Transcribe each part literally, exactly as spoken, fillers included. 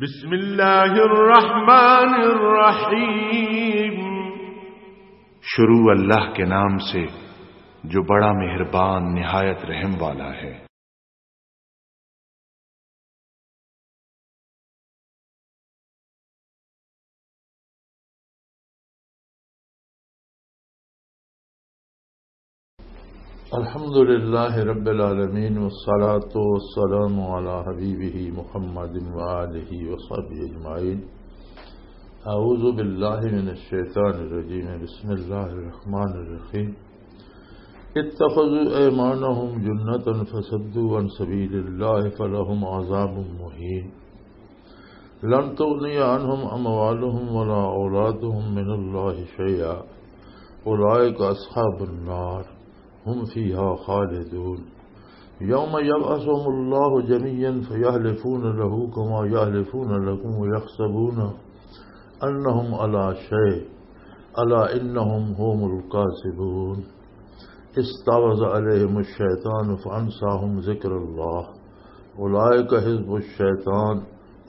بسم اللہ الرحمن الرحیم۔ شروع اللہ کے نام سے جو بڑا مہربان نہایت رحم والا ہے۔ الحمد لله رب العالمين، والصلاة والسلام على حبيبه محمد وآله وصحبه أجمعين. أعوذ بالله من الشيطان الرجيم. بسم الله الرحمن الرحيم. اتخذوا أيمانهم جنة فصدوا عن سبيل الله فلهم عذاب مهين. لن تغني عنهم أموالهم ولا أولادهم من الله شيئا. أولئك أصحاب النار. هم فيها خالدون. يوم يبعثهم الله جميعا فيحلفون له كما يحلفون لكم ويحسبون أنهم على شيء. ألا إنهم هم الكاذبون. استحوذ عليهم الشيطان فأنساهم ذكر الله. أولئك حزب الشيطان.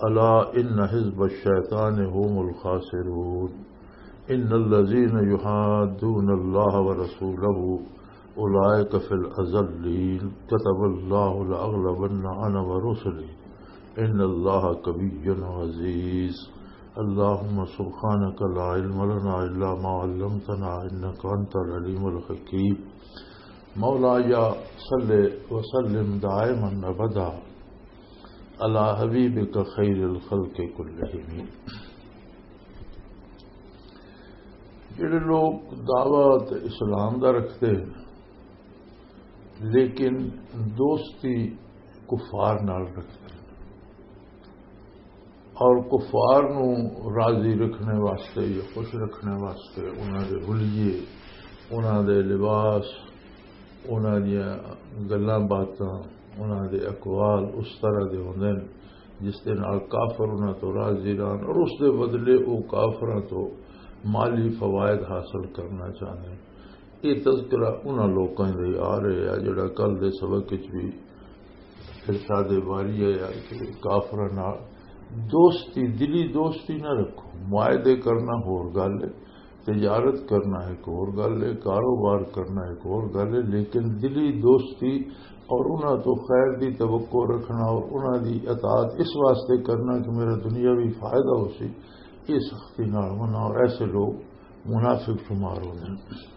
ألا إن حزب الشيطان هم الخاسرون. إن الذين يحادون الله ورسوله أولئك في الأذلين. كتب الله لأغلبن أنا ورسلي. إن الله قوي عزيز. اللهم سبحانك لا علم لنا إلا ما علمتنا إنك أنت العليم الحكيم. مولاي صل وسلم دائما أبدا على حبيبك خير الخلق كلهم. جڑے لوگ دعوت اسلام دا رکھتے ہیں، لیکن دوستی کفار نال رکھتے ہیں، اور کفار نو راضی رکھنے واسطے یا خوش رکھنے واسطے انہاں دے حلیے، انہاں دے لباس، انہاں دیاں گلاں باتاں، انہاں دے اقوال اس طرح دے ہوندے نے جس دے نال کافر انہاں تو راضی رہن، اور اس دے بدلے او کافراں تو مالی فوائد حاصل کرنا چاہندے نے۔ یہ تذکرہ انہاں لوکاں دے آ رہے آ جڑا کل دے سبق وچ بھی ارشاد باری ہے یار کہ کافراں نال دوستی، دلی دوستی نہ رکھو۔ معاہدے کرنا ہور گل ہے، تجارت کرنا ایک ہور گل ہے، کاروبار کرنا ایک ہور گل ہے، لیکن دلی دوستی اور انہاں تو خیر دی توقع رکھنا اور انہاں دی اطاعت اس واسطے کرنا کہ میرا دنیاوی فائدہ ہو سی، یہ سختی نال منع، اور ایسے لوگ منافق شمار ہوندے نے۔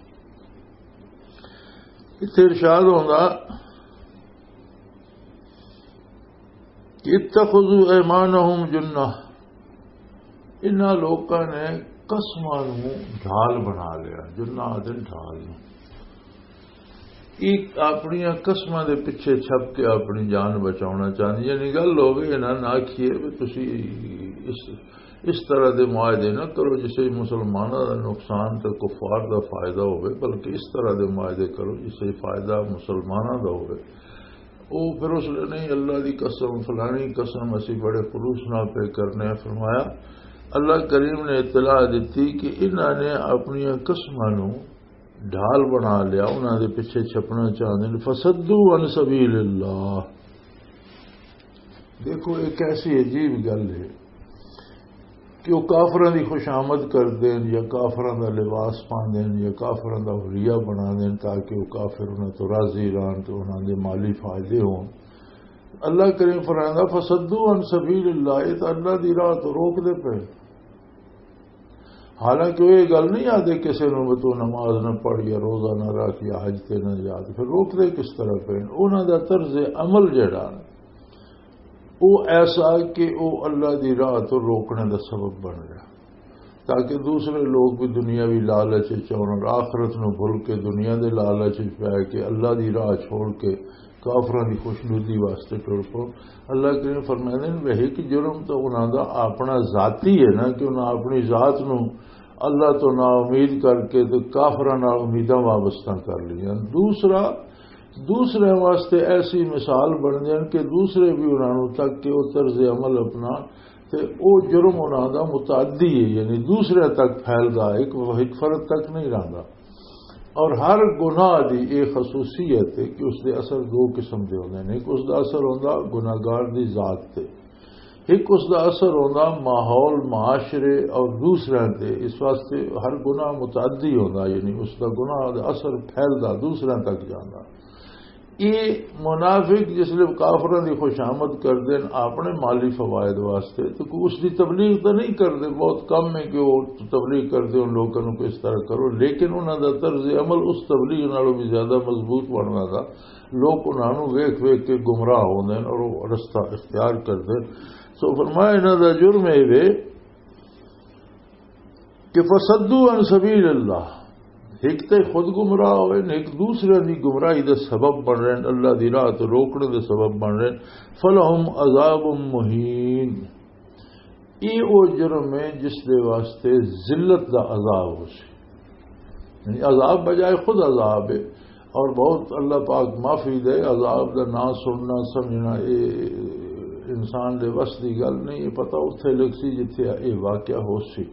اتھے ارشاد ہوندا کہ اتخذوا ایمانہم جنہ، انہاں لوکاں نے قسماں نوں ڈھال بنا لیا۔ جنہ آدھے ڈھال نوں۔ ایک اپنیاں قسماں دے پیچھے چھپ کے اپنی جان بچاونا چاہندے، یعنی گل ہو گئی، انہاں نہ آکھیے بھی تسی اس، اس طرح دے معاہدے نہ کرو جس وچ مسلماناں دا نقصان تے کفار دا فائدہ ہوئے، بلکہ اس طرح دے معاہدے کرو جس وچ فائدہ مسلماناں دا ہوئے۔ او پھر اس لئے نہیں، اللہ دی قسم، فلانی قسم، اسی بڑے خلوص نال پہ کرنے ہیں۔ فرمایا، اللہ کریم نے اطلاع دتی کہ انہاں نے اپنیاں قسماں نوں ڈھال بنا لیا، انہاں دے پیچھے چھپنا چاہندے نے۔ فصدوا عن سبیل اللہ۔ دیکھو، ایک ایسی عجیب گل ہے کہ وہ کافراں دی خوش آمد کر دین یا کافراں دا لباس پا دین یا کافراں دا حلیہ بنا دین تاکہ وہ کافر انہاں تو راضی رہن تے انہاں دے مالی فائدے ہون۔ اللہ کریم فرمائندا، "فصدوا عن سبیل اللہ"، یہ تو اللہ دی راہ تو روک دے پے۔ حالانکہ وہ یہ گل نہیں آدھے کسی نوں بھی تو نماز نہ پڑھ یا روزہ نہ رکھ یا حج تے نہ جا، تے پھر روک دے کس طرح پے؟ انہاں دا طرز عمل جڑا وہ ایسا کہ وہ اللہ دی راہ تو روکنے دا سبب بن گیا، تاکہ دوسرے لوگ بھی دنیاوی لالچ وچ آؤن اور آخرت نو بھول کے دنیا دے لالچ وچ پے کے اللہ دی راہ چھوڑ کے کافراں دی خوشنودی واسطے ٹر پو۔ اللہ کریم فرمائے نے، وہی کہ جرم تو انہاں دا اپنا ذاتی ہے نا، کہ انہاں اپنی ذات نو اللہ تو نا امید کر کے تے کافراں نال امیداں وابستہ کر لیا۔ دوسرا، دوسرے واسطے ایسی مثال بن جان کہ دوسرے بھی انہاں نوں تک کہ وہ طرز عمل اپنا تے او جرم انہاں دا متعدی ہے، یعنی دوسرے تک پھیلدا ہے، ایک، ایک فرد تک نہیں رہندا۔ اور ہر گناہ دی یہ خصوصیت ہے کہ اس دے اثر دو قسم دے ہوندے نے۔ ایک اس دا اثر ہوندا گناہگار دی ذات تے، ایک اس دا اثر ہوندا ماحول، معاشرے اور دوسرے تے۔ اس واسطے ہر گناہ متعدی ہوندا، یعنی اس دا گناہ دا اثر پھیلدا، دوسرے تک جاندا۔ یہ منافق جس لئے کافروں دی خوش آمد کردے ہیں اپنے مالی فوائد واسطے، تو کوئی اس دی تبلیغ تو نہیں کردے۔ بہت کم ہے کہ وہ تبلیغ کردے ان لوگوں کو اس طرح کرو، لیکن انہاں دا طرز عمل اس تبلیغ نالوں بھی زیادہ مضبوط بننا تھا۔ لوگ انہاں نوں ویکھ ویکھ کے گمراہ ہوندے نے اور وہ رستہ اختیار کردے۔ سو فرمایا، انہاں دا جرم اے وے کہ فصدوا عن سبیل اللہ، ایک تے خود گمراہ ہوئے نے، ایک دوسرے دی گمراہی دا سبب بن رہے ہیں، اللہ دی راہ تو روکنے دے سبب بن رہے ہیں۔ فلہم عذاب مہین، یہ وہ جرم ہے جس دے واسطے ذلت دا عذاب ہو سی۔ یعنی عذاب بجائے خود عذاب ہے۔ اور بہت اللہ پاک معافی دے، عذاب دا نام سننا، سمجھنا، اے انسان دے وس دی گل نہیں۔ یہ پتہ اتھے لگ سی جتھے یہ واقعہ ہو سی۔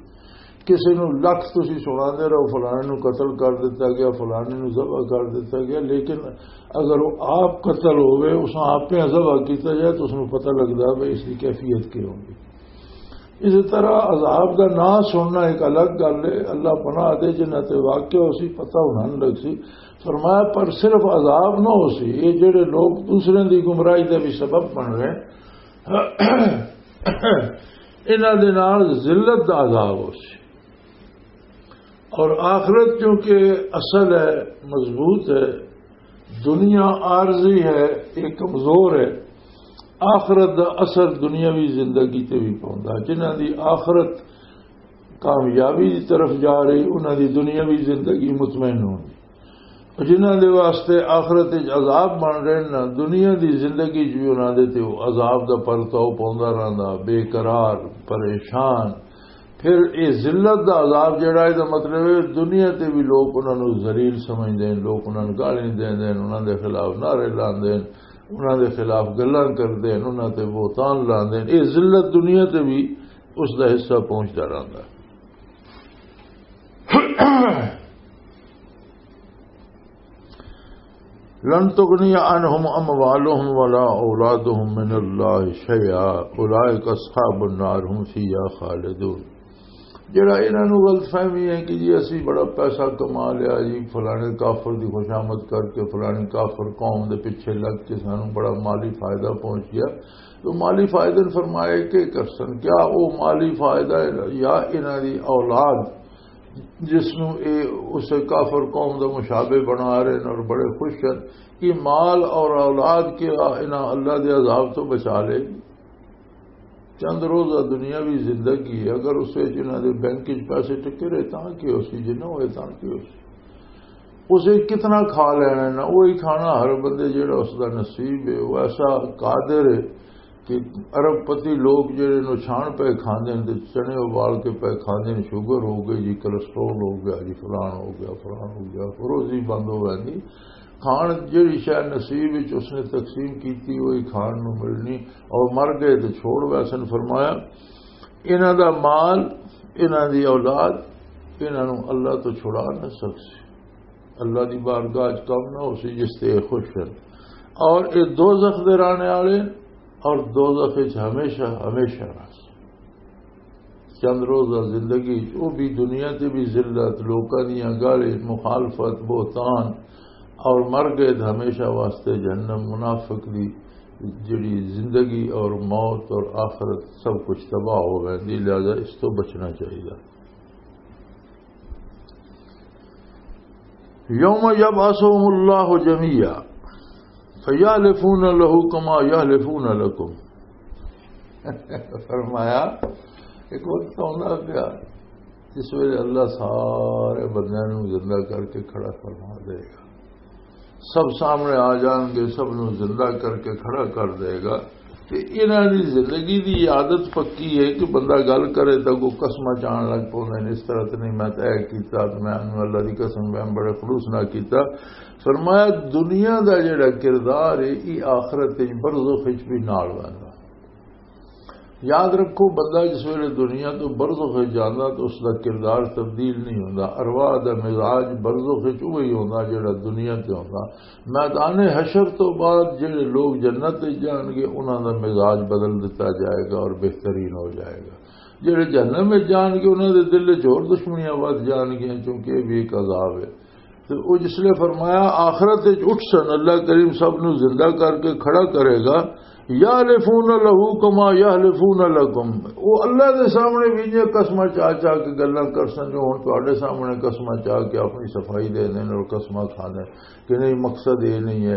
کسی نو لکھ تسی سنا دے رہو، فلانے نو قتل کر دیتا گیا، فلانے نو ذبح کر دیتا گیا، لیکن اگر وہ آپ قتل ہوئے، اس نے آپ پہ ذبح کیتا جائے، تو اس نو پتہ لگدا ہے بھئی اس دی کیفیت کی ہوگی۔ اسی طرح عذاب دا نام سننا ایک الگ گل ہے۔ اللہ پناہ دے، جنہاں تے واقعہ ہو سی، پتہ انہاں نوں لگ سی۔ فرمایا، پر صرف عذاب نہ ہو سی، یہ جڑے لوگ دوسرے دی گمراہی دے بھی سبب بن رہے ہیں، انہاں دے نال ذلت دا عذاب ہو سی۔ اور آخرت چونکہ اصل ہے، مضبوط ہے، دنیا عارضی ہے، یہ کمزور ہے۔ آخرت دا اثر دنیاوی زندگی تے بھی پوندا۔ جنہاں دی آخرت کامیابی دی طرف جا رہی، انہاں دی دنیاوی زندگی مطمئن ہوندی۔ اور جنہاں دے واسطے آخرت وچ عذاب بن رہے نا، دنیا دی زندگی وچ بھی انہاں دے تے وہ عذاب دا پرتاؤ پوندا رہندا، بے قرار، پریشان۔ پھر یہ ذلت دا عذاب جڑا ہے، دا مطلب ہے دنیا تے بھی لوگ انہاں نوں ذلیل سمجھدے ہیں، لوگ انہاں نوں گالیاں دیندے ہیں، انہاں دے خلاف نعرے لاندے ہیں، انہاں دے خلاف گلاں کردے ہیں، انہاں تے بہتان لاندے ہیں۔ یہ ذلت دنیا تے بھی اس دا حصہ پہنچدا رہندا ہے۔ لن تغنی عنہم اموالہم ولا اولادہم من اللہ شیئا، اولئک اصحاب النار ہم فیہا خالدون۔ جڑا انہاں نوں غلط فہمی ہے کہ جی اسی بڑا پیسہ کما لیا جی، فلانے کافر دی خوشامد کر کے، فلانی کافر قوم دے پیچھے لگ کے سانوں بڑا مالی فائدہ پہنچ گیا، تو مالی فائدے نے فرمایا کہ کر سن، کیا وہ مالی فائدہ ہے یا انہاں دی اولاد جس نوں اے اس کافر قوم دا مشابہ بنا رہے ہیں اور بڑے خوش ہیں، یہ مال اور اولاد کیا انہاں اللہ دے عذاب تو بچا لے؟ چند روزہ دنیاوی زندگی ہے، اگر اس وچ انہاں دے بینک وچ پیسے ٹکے رہے تاں کی ہو سی، جے نہ ہوئے تاں کی ہو سی؟ اسے کتنا کھا لینا ہے نا، وہی کھانا ہر بندے جڑا اس دا نصیب ہے، وہ ایسا قادر ہے کہ ارب پتی لوگ جڑے نو چھان پہ کھاندے نے تے چنے ابال کے پہ کھاندے نے، شوگر ہو گئی جی، کولیسٹرول ہو گیا جی، فلان ہو گیا، فلان ہو گیا، روزی بند ہو گئی۔ کھان جڑی شے نصیب وچ اس نے تقسیم کیتی، وہی کھان نو ملنی، اور مر گئے تے چھوڑ ویسن۔ فرمایا، انہاں دا مال، انہاں دی اولاد، انہاں نو اللہ تو چھڑا نہ سکسی۔ اللہ دی بارگاہ وچ کم نہ ہو سی جس تے اے خوش ہن۔ اور اے دوزخ دے رہنے والے، اور دوزخ وچ ہمیشہ، ہمیشہ رہس۔ چند روزہ زندگی وچ، او بھی دنیا تے بھی ذلت، لوکاں دیاں گالی، مخالفت، بہتان، اور مر گئے تے ہمیشہ واسطے جہنم۔ منافق دی جڑی زندگی اور موت اور آخرت سب کچھ تباہ ہو ویندی، لہذا اس تو بچنا چاہیے۔ یوم یبعثہم اللہ جمیعا فیحلفون لہ کما یحلفون لکم۔ فرمایا، ایک وقت آندا پیا جس ویلے اللہ سارے بندیاں نوں زندہ کر کے کھڑا فرما دے گا، سب سامنے آ جان گے، سب نوں زندہ کر کے کھڑا کر دے گا۔ تے انہاں دی زندگی دی عادت پکی ہے کہ بندہ گل کرے تاں کوئی قسماں چان لگ پوندے نے، اس طرح تے نہیں، میں تے اے کیتا، تے میں انہوں اللہ دی قسم، میں بڑے خلوص نال کیتا۔ فرمایا، دنیا دا جڑا کردار ہے، یہ آخرت وچ، برزخ وچ بھی نال ویندا۔ یاد رکھو، بندہ جس ویلے دنیا تو برزخ وچ جاندا تو اس دا کردار تبدیل نہیں ہوندا۔ ارواح دا مزاج برزخ وچ وہی ہوندا جڑا دنیا تے ہوندا۔ میدان حشر تو بعد جڑے لوگ جنت وچ جان گے، انہاں دا مزاج بدل دتا جائے گا اور بہترین ہو جائے گا۔ جڑے جہنم وچ جان گے، انہاں دے دل وچ ہور دشمنیاں ود جان گیاں، کیونکہ یہ بھی ایک عذاب ہے۔ تے او جس لے فرمایا، آخرت وچ اٹھ سن، اللہ کریم سب نو زندہ کر کے کھڑا کرے گا۔ یحلفون لہ کما یحلفون لکم۔ او اللہ دے سامنے بھی یہ قسماں چا چا کے گلاں کر سن، جو ہن تواڈے سامنے قسماں چا کے اپنی صفائی دے دین اور قسماں کھاندے کہ نہیں، مقصد یہ نہیں ہے۔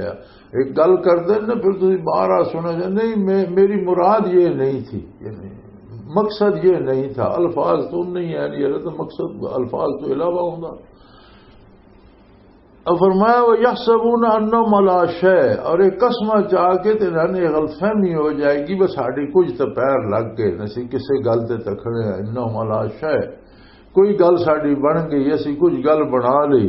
ایک گل کر دین نا، پھر تسی بار آ سنا جائے، نہیں، میں، میری مراد یہ نہیں تھی، یہ نہیں، مقصد یہ نہیں تھا۔ الفاظ تو نہیں ہے، نہیں ہے تو مقصد، الفاظ تو علاوہ ہوندا۔ اور فرمایا، وَيَحْسَبُونَ أَنَّهُمْ عَلَىٰ شَيْءٍ، اور ایک قسمہ چاہ کے تے انہاں نے غلط فہمی ہو جائے گی، بس ساڈی کچھ تو پیر لگ گئے، اسی کسے گل تے تکھڑے ہیں، انہم علی شیء، کوئی گل ساڈی بن گئی، اسی کچھ گل بنا لی۔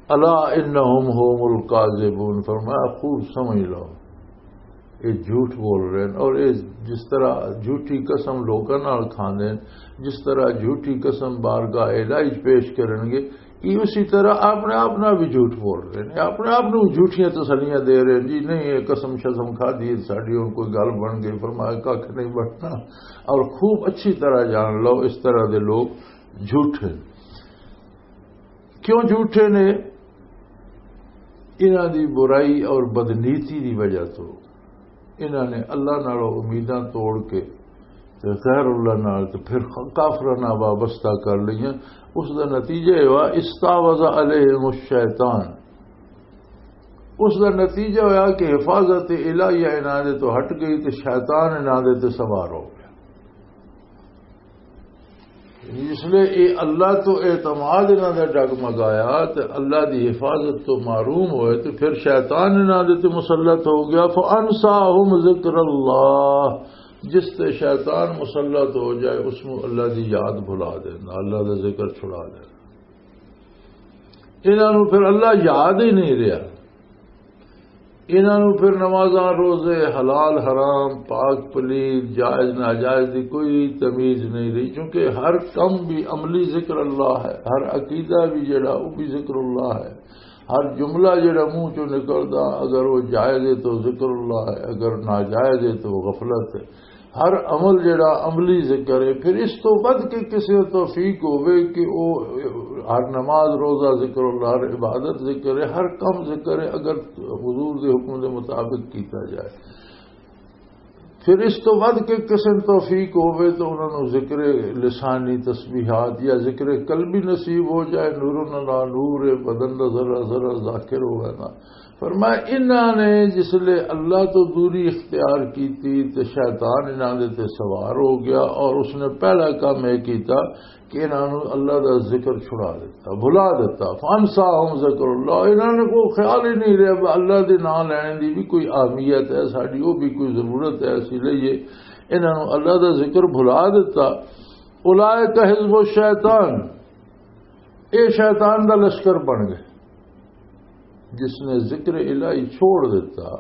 الا انہم هم الکاذبون، فرمایا خوب سمجھ لو، یہ جھوٹ بول رہے ہیں۔ اور یہ جس طرح جھوٹی قسم لوکاں نال کھاندے ہیں، جس طرح جھوٹی قسم بارگاہ الہی چ پیش کرن گے، یہ اسی طرح اپنے آپ نال بھی جھوٹ بول رہے ہیں، اپنے آپ نوں جھوٹیاں تسلیاں دے رہے ہیں، جی نہیں، یہ قسم شسم کھا دی ساڈی، ہن کوئی گل بن گئی، فرمایا کھ نہیں بننا۔ اور خوب اچھی طرح جان لو، اس طرح دے لوگ جھوٹے۔ کیوں جھوٹے نے؟ انہاں دی برائی اور بدنیتی دی وجہ تو انہاں نے اللہ نالوں امیداں توڑ کے تے غیر اللہ نال تے پھر کافراں نال وابستہ کر لئیاں۔ اس دا نتیجہ یہ ہوا، استعوذ علیہم الشیطان۔ اس دا نتیجہ ہویا کہ حفاظت الہیہ انہاں دے تو ہٹ گئی تے شیطان انہاں دے تے سوار ہو گیا۔ اس لیے یہ اللہ تو اعتماد انہاں دا ڈگمگایا تے اللہ دی حفاظت تو محروم ہوئے تے پھر شیطان انہاں دے تے مسلط ہو گیا۔ فَأَنْسَاهُمْ ذِكْرَ اللَّهِ، جس تے شیطان مسلط ہو جائے، اس نوں اللہ دی یاد بھلا دینا، اللہ دا ذکر چھڑا دینا۔ انہاں نوں پھر اللہ یاد ہی نہیں رہیا۔ انہاں نوں پھر نمازاں، روزے، حلال حرام، پاک پلید، جائز ناجائز دی کوئی تمیز نہیں رہی، کیونکہ ہر کم بھی عملی ذکر اللہ ہے، ہر عقیدہ بھی جڑا، وہ بھی ذکر اللہ ہے، ہر جملہ جڑا منہ چوں نکلدا، اگر وہ جائز ہے تو ذکر اللہ ہے، اگر ناجائز ہے تو وہ غفلت ہے۔ ہر عمل جڑا عملی ذکر ہے، پھر اس تو ود کے کسے توفیق ہوے کہ او ہر نماز، روزہ ذکر اللہ، ہر عبادت ذکر ہے، ہر کم ذکر ہے، اگر حضور دے حکم دے مطابق کیتا جائے، پھر اس تو ود کے کسے توفیق ہوے تو انہاں نوں ذکر لسانی تسبیحات یا ذکر قلبی نصیب ہو جائے، نور اللہ نور ہے، بدن دا ذرہ ذرہ ذاکر ہوے نا۔ فرمایا، انہاں نے جس لے اللہ تو دوری اختیار کیتی تے شیطان انہاں دے تے سوار ہو گیا، اور اس نے پہلا کام یہ کیتا کہ انہاں نوں اللہ دا ذکر چھڑا دیتا، بھلا دیتا۔ فانساہم ذکر اللہ، انہاں نے کوئی خیال ہی نہیں رہیا کہ اللہ دے نام لینے دی بھی کوئی اہمیت ہے، ساڈی وہ بھی کوئی ضرورت ہے، اسی لئیے۔ انہاں نوں اللہ دا ذکر بھلا دیتا۔ اولئک حزب الشیطان، اے شیطان دا لشکر بن گئے۔ جس نے ذکر الہی چھوڑ دیتا،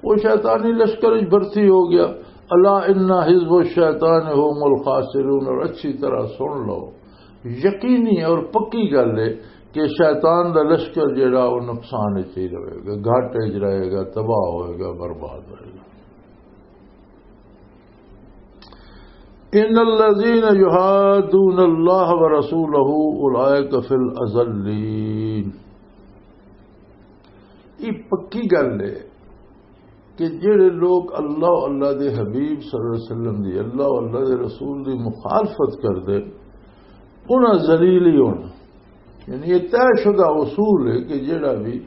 وہ شیطانی لشکر وچ بھرتی ہو گیا۔ الا ان حزب الشیطان هم الخاسرون، اور اچھی طرح سن لو، یقینی اور پکی گل ہے کہ شیطان دا لشکر جڑا، وہ نقصان وچ ہی رہے گا، گھاٹے وچ رہے گا، تباہ ہوئے گا، برباد ہوئے گا۔ ان الذين يحادون الله ورسوله اولئك في الاذلين۔ یہ پکی گل ہے کہ جڑے لوگ اللہ، اللہ دے حبیب صلی اللہ علیہ وسلم دی، اللہ، اللہ دے رسول دی مخالفت کردے، انہاں ذلیل ہی ہونا۔ یعنی یہ طے شدہ اصول ہے کہ جڑا بھی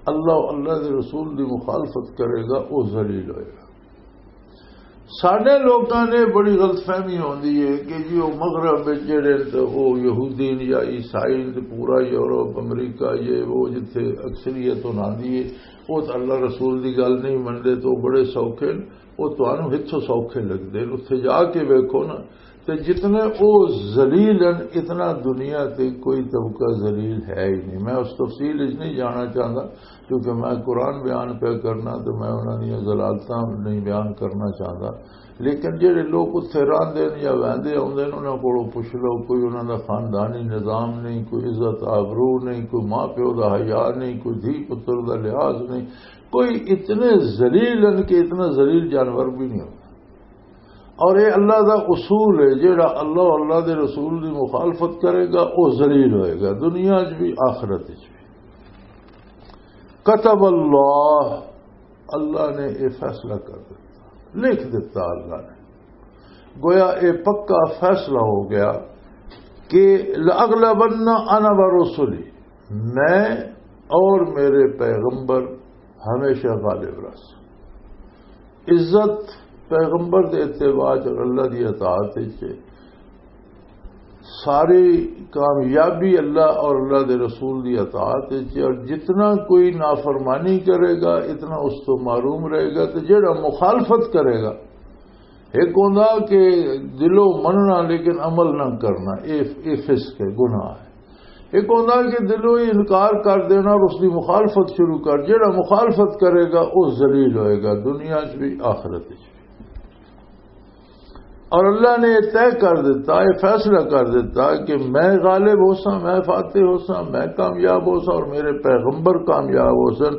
اللہ، اللہ دے رسول دی مخالفت کرے گا، وہ ذلیل ہوئے گا۔ ساڈے لوکاں نے بڑی غلط فہمی ہوندی ہے کہ جی وہ مغرب وچ جڑے تے وہ یہودی نے یا عیسائی نے، تے پورا یورپ، امریکہ، یہ وہ جتھے اکثریت ہوندی ہے، وہ تے اللہ رسول دی گل نہیں منتے، تو بڑے سوکھے نے۔ وہ تانوں ہتھوں سوکھے لگدے نے۔ اتھے جا کے ویکھو نا، تے جتنے او ذلیل ہیں، اتنا دنیا تے کوئی طبقہ ذلیل ہے ہی نہیں۔ میں اس تفصیل وچ نہیں جانا چاہتا، کیونکہ میں قرآن بیان پہ کرنا تے میں انہاں دیاں ذلالتاں نہیں بیان کرنا چاہتا۔ لیکن جڑے لوگ اتھے راندے نے یا ویندے آندے نے، انہاں کولوں پوچھ لو، کوئی انہاں دا خاندانی نظام نہیں، کوئی عزت آبرو نہیں، کوئی ماں پیو دا حیا نہیں، کوئی دھی پتر دا لحاظ نہیں، کوئی اتنے ذلیل ہیں کہ اتنا ذلیل جانور بھی نہیں ہوتا۔ اور یہ اللہ دا اصول ہے، جیڑا اللہ، اللہ دے رسول دی مخالفت کرے گا، وہ ذلیل ہوئے گا، دنیا چ بھی، آخرت چ بھی۔ كتب اللہ، اللہ نے یہ فیصلہ کر دیتا، لکھ دیتا اللہ نے۔ گویا یہ پکا فیصلہ ہو گیا کہ لَأَغْلَبَنَّ أَنَا وَرُسُلِي، میں اور میرے پیغمبر ہمیشہ غالب رہس۔ عزت پیغمبر دے اتباع چ اور اللہ دی اطاعت چ، ساری کامیابی اللہ اور اللہ دے رسول دی اطاعت چ، اور جتنا کوئی نافرمانی کرے گا، اتنا اس تو محروم رہے گا۔ تے جڑا مخالفت کرے گا، ایک ہوندا کہ دلوں مننا لیکن عمل نہ کرنا، اے، اے فسق ہے، گناہ ہے۔ ایک ہوندا کہ دلوں ہی انکار کر دینا اور اس دی مخالفت شروع کر، جڑا مخالفت کرے گا، وہ ذلیل ہوئے گا، دنیا چ بھی، آخرت چ بھی۔ اور اللہ نے یہ طے کر دیتا، یہ فیصلہ کر دیتا کہ میں غالب ہو سا، میں فاتح ہو سا، میں کامیاب ہو سا اور میرے پیغمبر کامیاب ہو سن۔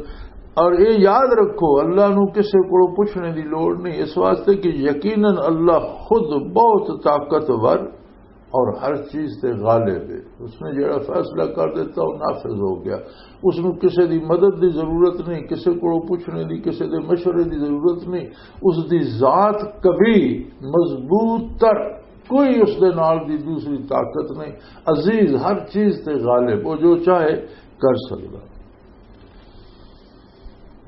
اور یہ یاد رکھو، اللہ نو کسے کو پوچھنے دی لوڑ نہیں، اس واسطے کہ یقیناً اللہ خود بہت طاقتور اور ہر چیز تے غالب ہے۔ اس نے جڑا فیصلہ کر دیتا، وہ نافذ ہو گیا۔ اس نو کسے دی مدد دی ضرورت نہیں، کسے کو پوچھنے دی، کسے دے مشورے دی ضرورت نہیں۔ اس دی ذات کبھی مضبوط تر، کوئی اس دے نال دی دوسری طاقت نہیں۔ عزیز، ہر چیز تے غالب، وہ جو چاہے کر سکدا۔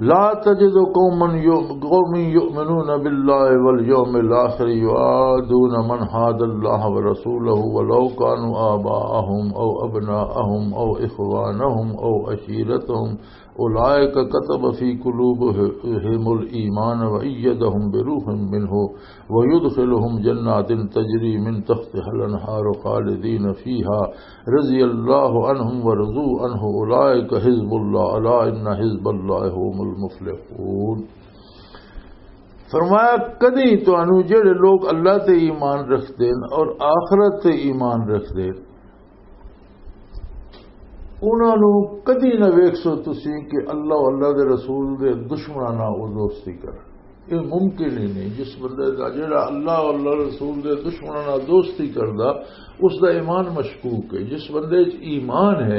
لا تجد قوما يؤ-، قوم يؤمنون بالله واليوم الآخر يوادون من حاد الله ورسوله ولو كانوا آباءهم أو أبناءهم أو إخوانهم أو عشيرتهم أولئك كتب في قلوبهم الإيمان وأيدهم بروح منه ويدخلهم جنات تجري من تحتها الأنهار خالدين فيها رضي الله عنهم ورضوا عنه أولئك حزب الله ألا إن حزب الله هم المفلحون۔ فرمایا، کدی تانوں جڑے لوگ اللہ تے ایمان رکھدے نے اور آخرت تے ایمان رکھدے نے، انہاں نوں کدی نہ ویکھسو تسی کہ اللہ، اللہ دے رسول دے دشمناں نال او دوستی کرن۔ یہ ممکن ہی نہیں۔ جس بندے دا جڑا اللہ اور اللہ رسول دے دشمناں نال دوستی کردا، اس دا ایمان مشکوک ہے۔ جس بندے وچ ایمان ہے،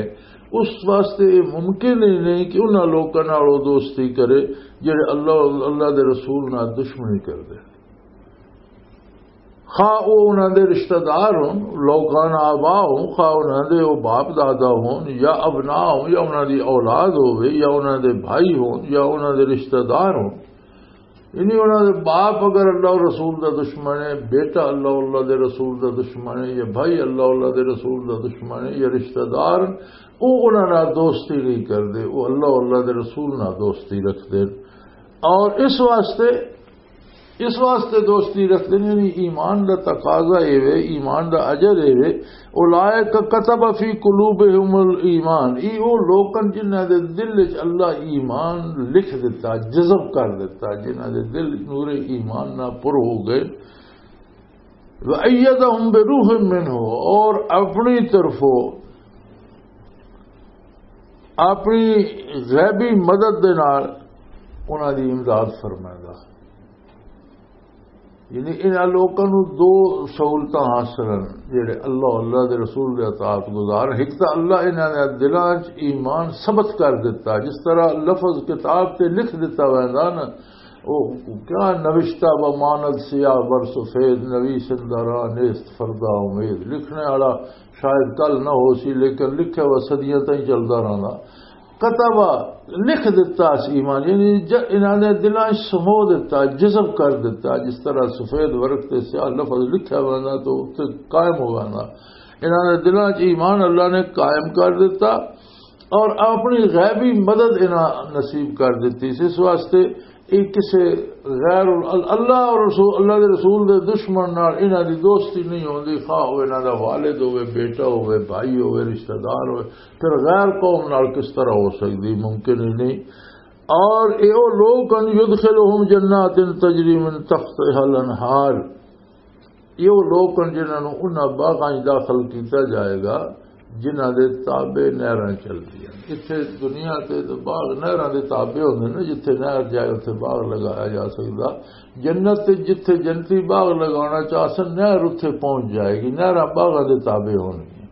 اس واسطے یہ ممکن ہی نہیں کہ انہاں لوکاں نال او دوستی کرے جڑے اللہ، اللہ دے رسول نال دشمنی کردے۔ خواہ او انہاں دے رشتہ دار ہون، لوکان آبا ہون، خواہ انہاں دے او باپ دادا ہون، یا ابناء ہون، یا انہاں دی اولاد ہووے، یا انہاں دے بھائی ہون، یا انہاں دے رشتہ دار ہون۔ یعنی انہاں دے باپ اگر اللہ اور رسول دا دشمن ہے، بیٹا اللہ، اللہ دے رسول دا دشمن ہے، یا بھائی اللہ، اللہ دے رسول دا دشمن ہے، یا رشتہ دار، او انہاں نال دوستی نہیں کردے، او اللہ، اللہ دے رسول نال دوستی رکھدے۔ اور اس واسطے اس واسطے دوستی رکھدے نے، یعنی ایمان دا تقاضا اے وے، ایمان دا اجر اے وے۔ اولئک کتب فی قلوبہم الایمان، ای او لوکن جنہاں دے دل وچ اللہ ایمان لکھ دتا، جذب کر دتا، جنہاں دے دل نور ایمان نہ پر ہو گئے۔ وایدہم بروح منہ، اور اپنی طرفوں، اپنی غیبی مدد دے نال انہاں دی امداد فرمائے گا۔ یعنی انہاں لوکاں نوں دو سہولتاں حاصل ہن، جڑے اللہ، اللہ دے رسول دے اطاعت گزار۔ ایک تاں اللہ انہاں دے دلاں 'چ ایمان ثبت کر دتا، جس طرح لفظ کتاب تے لکھ دتا ویندا نا، او کیا نوشتہ بماند سیاہ بر سفید، نویسندہ راہ نیست فردا امید۔ لکھنے والا شاید کل نہ ہو سی، لیکن لکھے ہوا صدیاں تائیں چلدا رہندا۔ کتبہ، لکھ دتا اس ایمان، یعنی ج-، انہاں دے دلاں 'چ سمو دتا، جذب کر دتا، جس طرح سفید ورق تے سیاہ لفظ لکھیا ویندا تو اتنے قائم ہو ویندا۔ انہاں دے دلاں 'چ ایمان اللہ نے قائم کر دتا اور اپنی غیبی مدد انہاں نصیب کر دتی۔ اس واسطے یہ کسے غیر ال-، اللہ اور رسول، اللہ دے رسول دے دشمن نال انہاں دی دوستی نہیں ہوندی، خواہ او انہاں دا والد ہوئے، بیٹا ہوئے، بھائی ہوئے، رشتہ دار ہوئے، پھر غیر قوم نال کس طرح ہو سکدی؟ ممکن ہی نہیں۔ اور اے او لوگ ہن، یدخلہم جنات تجری من تحتہا الانہار، یہ وہ لوگ ہن جنہاں نوں انہاں باغاں وچ داخل کیتا جائے گا جنہاں دے تابع نہراں چلدیاں۔ اتھے دنیا تے تے باغ نہراں دے تابع ہوندے نے، جتھے نہر جائے اتھے باغ لگایا جا سکدا۔ جنت تے جتھے جنتی باغ لگانا چاہسن، نہر اتھے پہنچ جائے گی، نہراں باغاں دے تابع ہونگیاں۔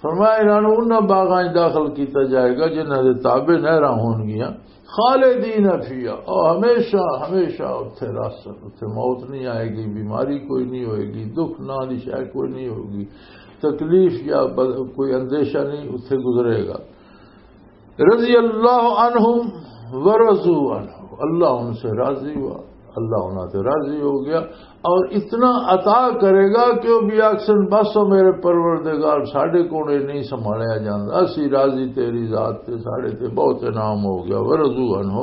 فرمایا، انہاں نوں انہاں باغاں وچ داخل کیتا جائے گا جنہاں دے تابع نہراں ہونگیاں۔ خالدین فیہا، اور ہمیشہ، ہمیشہ اتھے رہسن، اتھے موت نہیں آئے گی، بیماری کوئی نہیں ہوئے گی، دکھ نہ دی شے کوئی نہیں ہوگی، تکلیف یا ب-، کوئی اندیشہ نہیں اتھے گزرے گا۔ رضی اللہ عنہم ورضوا عنہ، اللہ ان سے راضی ہوا، اللہ انہاں سے راضی ہو گیا۔ اور اتنا عطا کرے گا کہ وہ بھی آکھسن، "بس او میرے پروردگار، ساڈے کول اے نہیں سنبھالیا جاندا، اسی راضی تیری ذات تے، ساڈے تے بہت انعام ہو گیا۔" ورضوا عنہ۔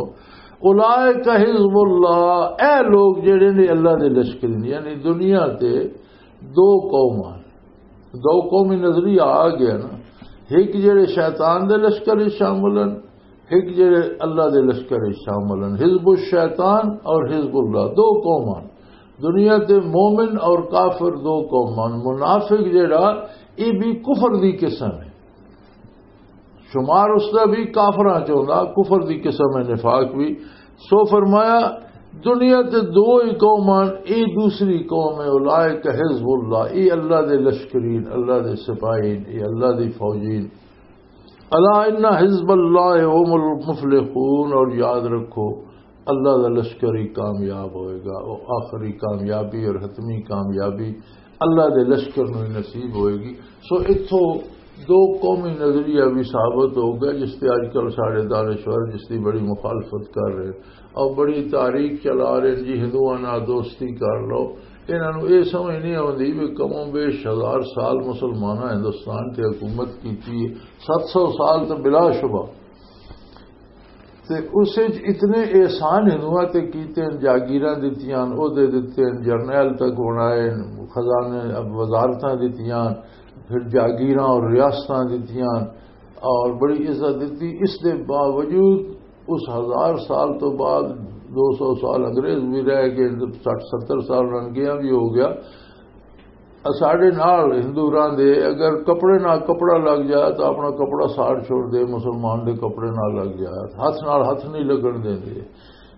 اولئک حزب اللہ، اے لوگ جڑے نے اللہ دے لشکر نے، یعنی دنیا تے دو قوم ہن، دو قومی نظریہ آ گیا نا، ایک جڑے شیطان دے لشکر وچ شامل ہن، ایک جڑے اللہ دے لشکر وچ شامل ہن، حزب الشیطان اور حزب اللہ، دو قوم ہن۔ دنیا تے مومن اور کافر دو قوم ہن۔ منافق جڑا، یہ بھی کفر دی قسم ہے، شمار اس دا بھی کافراں چ ہوندا، کفر دی قسم ہے نفاق بھی۔ سو فرمایا، دنیا تے دو ہی قوم ہن، اے دوسری قوم ہے، اولئک حزب اللہ، اے اللہ دے لشکرین، اللہ دے سپاہین، اے اللہ دی فوجین۔ الا ان حزب اللہ هم المفلحون، اور یاد رکھو، اللہ دا لشکر ہی کامیاب ہوئے گا، وہ آخری کامیابی اور حتمی کامیابی اللہ دے لشکر نوں ہی نصیب ہوئے گی۔ سو اتھوں دو قومی نظریہ بھی ثابت ہو گیا، جس تے اج کل سارے دانشور جس دی بڑی مخالفت کر رہے اور بڑی تاریخ چلا رہے جی، ہندوؤں نال دوستی کر لو۔ انہاں نوں یہ سمجھ نہیں آوندی بھی کم و بیش ہزار سال مسلماناں ہندوستان تے حکومت کیتی ہے، ست سو سال تو بلا شبہ۔ تے اس وچ اتنے احسان ہندوؤں تے کیتے ہیں، جاگیراں دتیاں، عہدے دتے ہیں، جرنیل تک بنائے، خزانے، وزارتاں دتیاں، پھر جاگیراں اور ریاستاں دتیاں، اور بڑی عزت دتی۔ اس دے باوجود اس ہزار سال تو بعد دو سو سال انگریز بھی رہ گئے، سٹھ ستر سال رنگیاں بھی ہو گیا۔ ساڈے نال ہندو راندے، اگر کپڑے نال کپڑا لگ جائے تو اپنا کپڑا ساڑ چھوڑ دے، مسلمان دے کپڑے نال لگ جائے، ہاتھ نال ہاتھ نہیں لگن دیندے،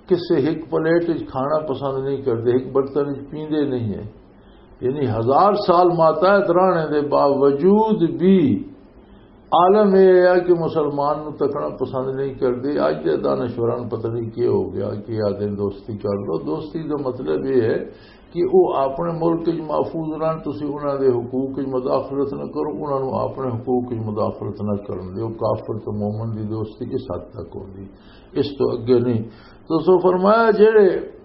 کسے ایک پلیٹ وچ کھانا پسند نہیں کردے، ایک برتن وچ پیندے نہیں ہے۔ یعنی ہزار سال ماتحت رہنے دے باوجود بھی عالم یہ ہے کہ مسلمان نو تکنا پسند نہیں کردے۔ اج دے دانشوراں نوں پتہ نہیں کی ہو گیا کہ آدھے دوستی کر لو۔ دوستی دا مطلب یہ ہے کہ وہ اپنے ملک وچ محفوظ رہن، تسی انہاں دے حقوق وچ مداخلت نہ کرو، انہاں نوں اپنے حقوق وچ مداخلت نہ کرن دیو۔ کافر تے مومن دی دوستی اس حد تک ہوندی، اس تو اگے نہیں۔ تو سو فرمایا، جڑے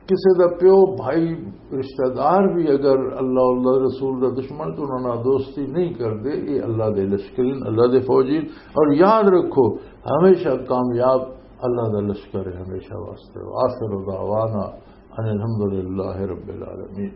کسے دا پیو، بھائی، رشتہ دار بھی اگر اللہ، اللہ دے رسول دا دشمن تو انہاں نال دوستی نہیں کردے، یہ اللہ دے لشکرین، اللہ دے فوجین۔ اور یاد رکھو، ہمیشہ کامیاب اللہ دا لشکر ہے، ہمیشہ واسطے۔ وآخر دعوانا ان الحمدللہ رب العالمین۔